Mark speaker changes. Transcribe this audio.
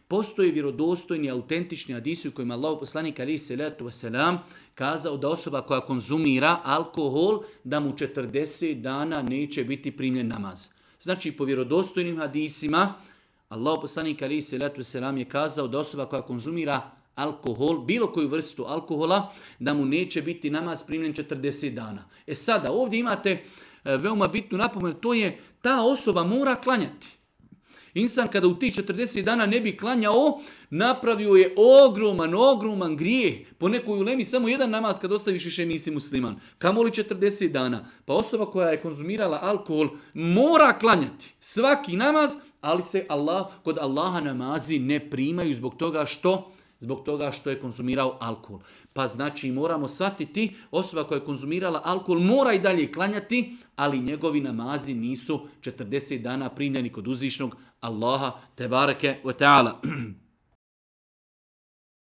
Speaker 1: Postoje vjerodostojni, autentični hadisi u kojima Allahov poslanik alejhi selatu vesselam kazao da osoba koja konzumira alkohol, da mu 40 dana neće biti primljen namaz. Znači, po vjerodostojnim hadisima, Allahov poslanik alejhi selatu vesselam je kazao da osoba koja konzumira alkohol, bilo koju vrstu alkohola, da mu neće biti namaz primljen 40 dana. Sada, ovdje imate veoma bitnu napomenu, to je ta osoba mora klanjati. Insan kada u tih 40 dana ne bi klanjao, napravio je ogroman grijeh. Po nekoj ulemi samo jedan namaz kad ostaviš više nisi musliman. Kamoli 40 dana. Pa osoba koja je konzumirala alkohol mora klanjati svaki namaz, ali se kod Allaha namazi ne primaju zbog toga što je konzumirao alkohol. Pa znači moramo shvatiti, osoba koja je konzumirala alkohol mora i dalje klanjati, ali njegovi namazi nisu 40 dana primljeni kod uzvišnog Allaha tebareke ve ta'ala.